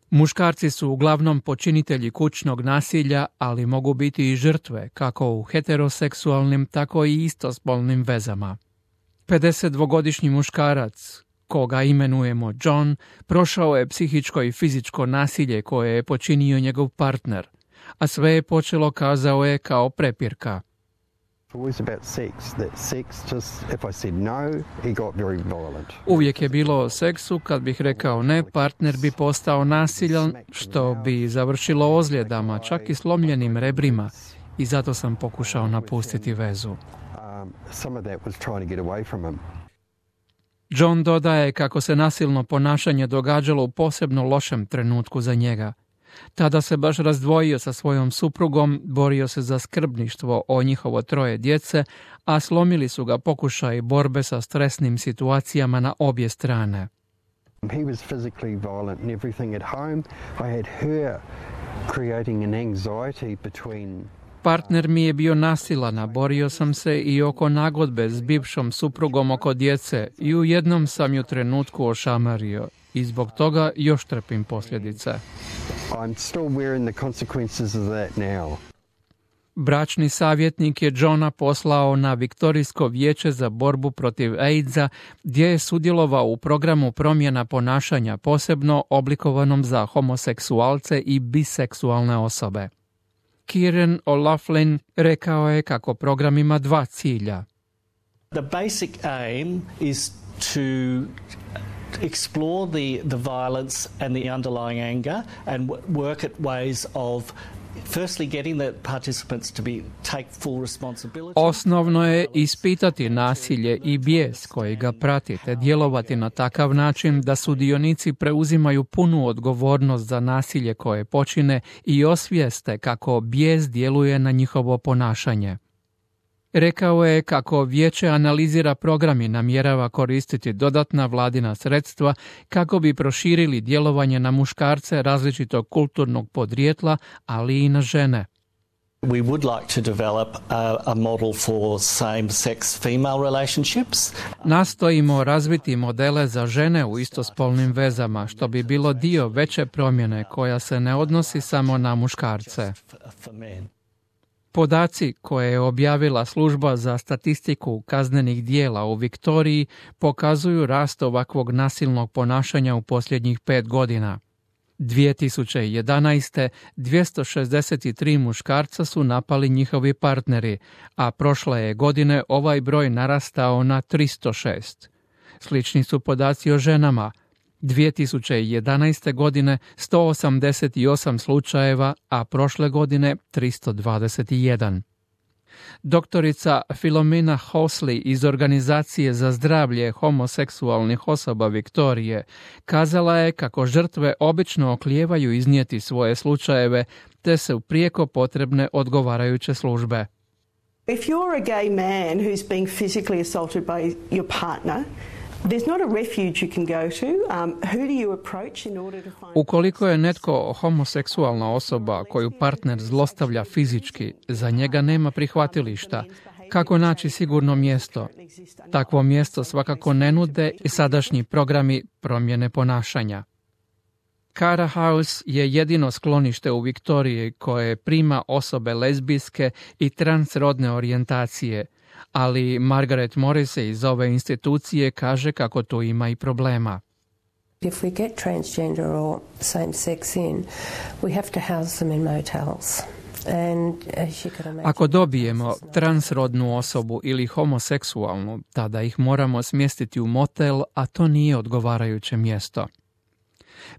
Muškarci su uglavnom počinitelji kućnog nasilja, ali mogu biti i žrtve, kako u heteroseksualnim, tako i istospolnim vezama. 52-godišnji muškarac, koga imenujemo John, prošao je psihičko i fizičko nasilje koje je počinio njegov partner, a sve je počelo, kazao je, kao prepirka. Uvijek je bilo o seksu, kad bih rekao ne, partner bi postao nasiljan, što bi završilo ozljedama, čak i slomljenim rebrima, i zato sam pokušao napustiti vezu. John dodaje kako se nasilno ponašanje događalo u posebno lošem trenutku za njega. Tada se baš razdvojio sa svojom suprugom, borio se za skrbništvo o njihovo 3 djece, a slomili su ga pokušaji borbe sa stresnim situacijama na obje strane. He was physically violent and everything at home. I had her creating an anxiety between... Partner mi je bio nasilan, a borio sam se i oko nagodbe s bivšom suprugom oko djece i u jednom sam ju trenutku ošamario i zbog toga još trpim posljedice. I'm still wearing the consequences of that now. Bračni savjetnik je Johna poslao na Viktorijsko vijeće za borbu protiv AIDS-a, gdje je sudjelovao u programu promjena ponašanja, posebno oblikovanom za homoseksualce i biseksualne osobe. Kieran O'Loughlin rekao je kako program ima 2 cilja. The basic aim is to explore the violence and the underlying anger and work at ways of firstly getting the participants to take full responsibility. Osnovno je ispitati nasilje i bijes koji ga prati, te djelovati na takav način da sudionici preuzimaju punu odgovornost za nasilje koje počine i osvijeste kako bijes djeluje na njihovo ponašanje. Rekao je kako vijeće analizira program i namjerava koristiti dodatna vladina sredstva kako bi proširili djelovanje na muškarce različitog kulturnog podrijetla, ali i na žene. We would like to develop a model for same-sex female relationships. Nastojimo razviti modele za žene u istospolnim vezama, što bi bilo dio veće promjene koja se ne odnosi samo na muškarce. Podaci koje je objavila služba za statistiku kaznenih dijela u Viktoriji pokazuju rast ovakvog nasilnog ponašanja u posljednjih 5 godina. 2011. 263 muškarca su napali njihovi partneri, a prošle je godine ovaj broj narastao na 306. Slični su podaci o ženama. 2011. godine 188 slučajeva, a prošle godine 321. Doktorica Philomena Hosley iz Organizacije za zdravlje homoseksualnih osoba Viktorije kazala je kako žrtve obično oklijevaju iznijeti svoje slučajeve, te su prijeko potrebne odgovarajuće službe. If you're a gay man who's being physically assaulted by your partner, there's not a refuge you can go to. Who do you approach in order to find... Ukoliko je netko homoseksualna osoba koju partner zlostavlja fizički, za njega nema prihvatilišta. Kako naći sigurno mjesto? Takvo mjesto svakako ne nude i sadašnji programi promjene ponašanja. Cara House je jedino sklonište u Viktoriji koje prima osobe lezbijske i transrodne orijentacije, ali Margaret Morrissey iz ove institucije kaže kako tu ima i problema. If we get transgender or same sex in, we have to house them in motels. Ako dobijemo transrodnu osobu ili homoseksualnu, tada ih moramo smjestiti u motel, a to nije odgovarajuće mjesto.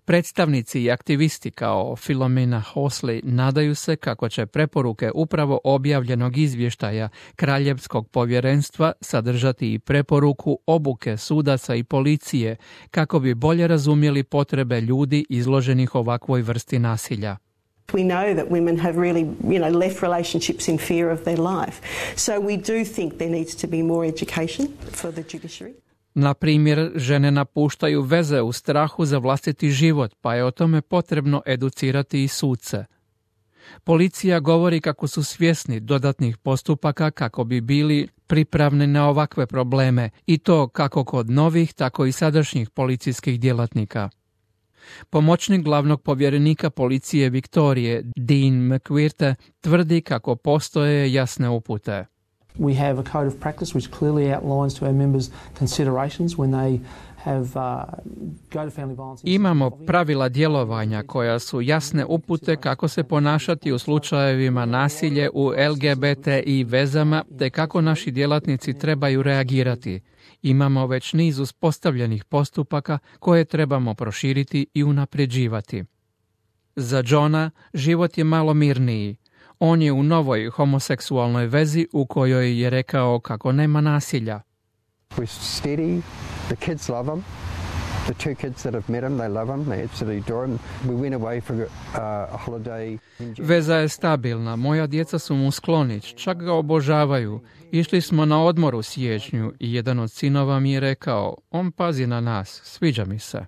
Predstavnici i aktivisti kao Philomena Hosley nadaju se kako će preporuke upravo objavljenog izvještaja Kraljevskog povjerenstva sadržati i preporuku obuke sudaca i policije kako bi bolje razumjeli potrebe ljudi izloženih ovakvoj vrsti nasilja. We know that women have really, left relationships in fear of their life. So we do think there needs to be more education for the judiciary. Na primjer, žene napuštaju veze u strahu za vlastiti život, pa je o tome potrebno educirati i suce. Policija govori kako su svjesni dodatnih postupaka kako bi bili pripravni na ovakve probleme, i to kako kod novih, tako i sadašnjih policijskih djelatnika. Pomoćnik glavnog povjerenika policije Viktorije, Dean McQuirte, tvrdi kako postoje jasne upute. We have a code of practice which clearly outlines to our members considerations when they have go to family violence. Imamo pravila djelovanja koja su jasne upute kako se ponašati u slučajevima nasilje u LGBTI vezama te kako naši djelatnici trebaju reagirati. Imamo već niz uspostavljenih postupaka koje trebamo proširiti i unapređivati. Za Johna život je malo mirniji. On je u novoj homoseksualnoj vezi u kojoj je rekao kako nema nasilja. We're steady. The kids love him. The two kids that have met him, they love him. They absolutely adore him. We went away for a holiday. Veza je stabilna. Moja djeca su mu skloni, čak ga obožavaju. Išli smo na odmor u siječnju i jedan od sinova mi je rekao, on pazi na nas, sviđa mi se.